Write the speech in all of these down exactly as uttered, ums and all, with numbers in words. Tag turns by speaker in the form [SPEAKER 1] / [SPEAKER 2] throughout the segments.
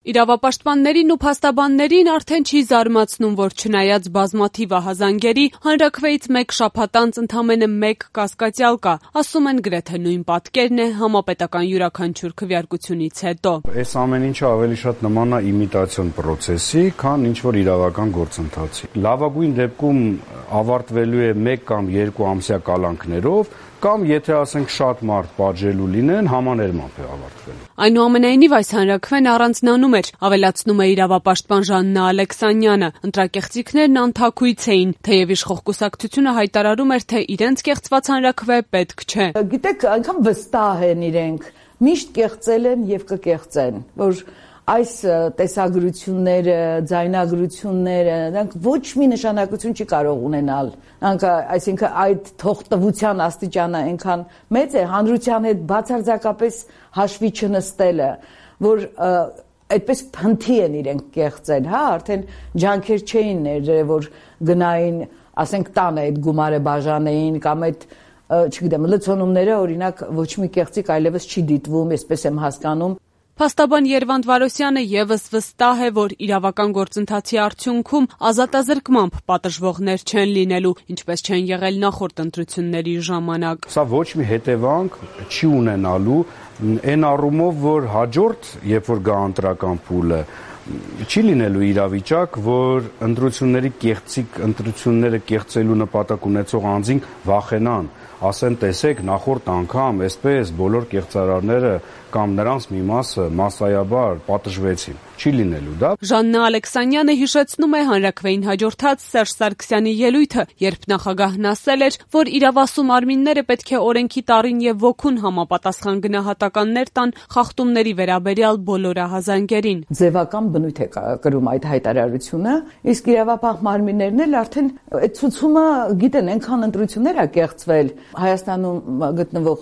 [SPEAKER 1] Իրավապաշտպաններին ու փաստաբաններին արդեն չի զարմացնում, որ չնայած բազմաթիվ ահազանգերի, հանրաքվեից մեկ շաբաթ անց ընդամենը մեկ կասկածյալ կա, ասում են գրեթե նույն պատկերն է համապետական յուրաքանչյուր քվեարկությունից հետո։
[SPEAKER 2] Այս ամեն ինչը ավելի շատ նման է իմիտացիոն պրոցեսի, քան ինչ-որ իրավական գործընթացի։ Լավագույն դեպքում ավարտվելու է մեկ կամ երկու ամսյա կալանքներով, կամ եթե ասենք շատ մարդ պատժելու լինեն, համաներմամբ է ավարտվելու։
[SPEAKER 1] Այնուամենայնիվ այս հանրաքվեն առանձնանում էր, ավելացնում է իրավապաշտպան Ժաննա Ալեքսանյանը։ Ընտրակեղծիքներն անթաքույց էին, թեև իշխող կուսակցությունը հայտարարում էր, թե իրենց կեղծված հանրաքվե պետք չէ։
[SPEAKER 3] Գիտեք, այնքան վստահ են իրենք, միշտ կեղծել են եւ կկեղծեն, որ այս տեսագրությունները, ձայնագրությունները, դրանք ոչ մի նշանակություն չի կարող ունենալ։ Դրանք, այսինքն այդ թողտվության աստիճանը այնքան մեծ է հանրության հետ բացարձակապես հաշվի չնստելը, որ այդպես փնթի են իրենք կեղծել, հա, արդեն ջանքեր չէին ներել, որ գնային, ասենք տանը այդ գումարը բաժանեին կամ այդ չգիտեմ, լցոնումները օրինակ ոչ մի կեղծիք այլևս չի դիտվում, այսպես եմ հասկանում։
[SPEAKER 1] Փաստաբան Երվանդ Վարոսյանը եւս վստահ է, որ իրավական գործընթացի արդյունքում ազատազրկմամբ պատժվողներ չեն լինելու, ինչպես չեն եղել նախորդ ընտրությունների ժամանակ։
[SPEAKER 2] Սա ոչ մի հետևանք չի ունենալու այն առումով, որ հաջորդ, երբ որ գա ընտրական փուլը, չի լինելու իրավիճակ, որ ընտրությունների կեղծիք, ընտրությունները կեղծելու նպատակ ունեցող անձին վախենան, ասեն, տեսեք, նախորդ անգամ այսպես բոլոր կեղծարարները կամ նրանց մի մասը մասսայաբար պատժվեցին։ Չի լինելու դա։
[SPEAKER 1] Ժաննա Ալեքսանյանը հիշեցնում է հանրաքվեին հաջորդած Սերժ Սարգսյանի ելույթը, երբ նախագահն ասել էր, որ իրավասու մարմինները պետք է օրենքի տառին եւ ոգուն համապատասխան գնահատականներ տան խախտումների վերաբերյալ բոլոր ահազանգերին։
[SPEAKER 3] Ձևական բնույթ է կրում այդ հայտարարությունը, իսկ իրավապահ մարմիններն էլ արդեն այդ ցուցումը գիտեն, այնքան ընտրություններ ա կեղծվել Հայաստանում գտնվող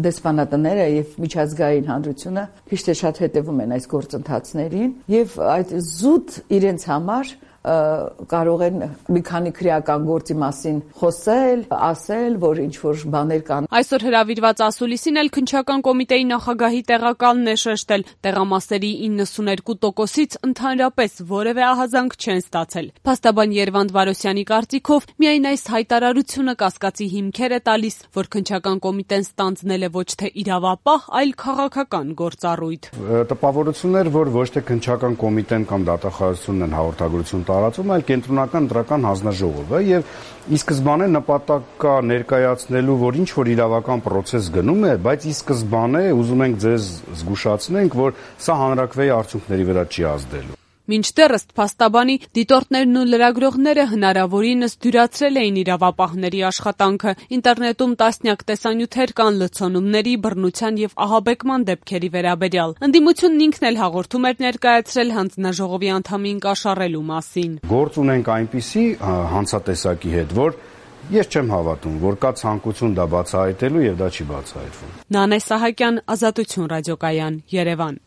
[SPEAKER 3] դեսպանատները եւ միջազգային հանրությունը քիչ թե շատ հետևում են այս գործընթացներին եւ այդ զուտ իրենց համար կարող են մի քանի քրեական գործի մասին խոսել, ասել, որ ինչ-որ բաներ կան։
[SPEAKER 1] Այսօր հրավիրված ասուլիսին էլ քննչական կոմիտեի նախագահի տեղակալն է շեշտել, տեղամասերի իննսուններկու տոկոսից ընդհանրապես որևէ ահազանգ չեն ստացել։ Փաստաբան Երվանդ Վարոսյանի կարծիքով միայն այս հայտարարությունը կասկածի հիմքեր է տալիս, որ քննչական կոմիտեն ստանձնել է ոչ թե իրավապահ, այլ քաղաքական գործառույթ։
[SPEAKER 2] Տպավորություններ, որ ոչ թե քննչական կոմիտեն կամ դատախազությունն են հաղորդագրություն տարածում, այլ կենտրոնական ընտրական հանձնաժողովը եւ ի սկզբանե նպատակ կա ներկայացնելու, որ ինչ որ իրավական process գնում է, բայց ի սկզբանե ուզում ենք ձեզ զգուշացնենք, որ սա հանրաքվեի արդյունքների վրա չի ազդելու։
[SPEAKER 1] Մինչդեռ ըստ փաստաբանի դիտորդներն ու լրագրողները հնարավորինս դյուրացրել էին իրավապահների աշխատանքը։ Ինտերնետում տասնյակ տեսանյութեր կան լցոնումների, բռնության եւ ահաբեկման դեպքերի վերաբերյալ։ Ընդդիմությունն ինքն էլ հաղորդում էր ներկայացրել հանձնաժողովի անդամին կաշառելու մասին։
[SPEAKER 2] Գործ ունենք այնպիսի հանցատեսակի հետ, որ ես չեմ հավատում, որ կա ցանկություն դա բացահայտելու եւ դա չի բացահայտվում։
[SPEAKER 1] Նանե Սահակյան, Ազատություն ռադիոկայան, Երևան։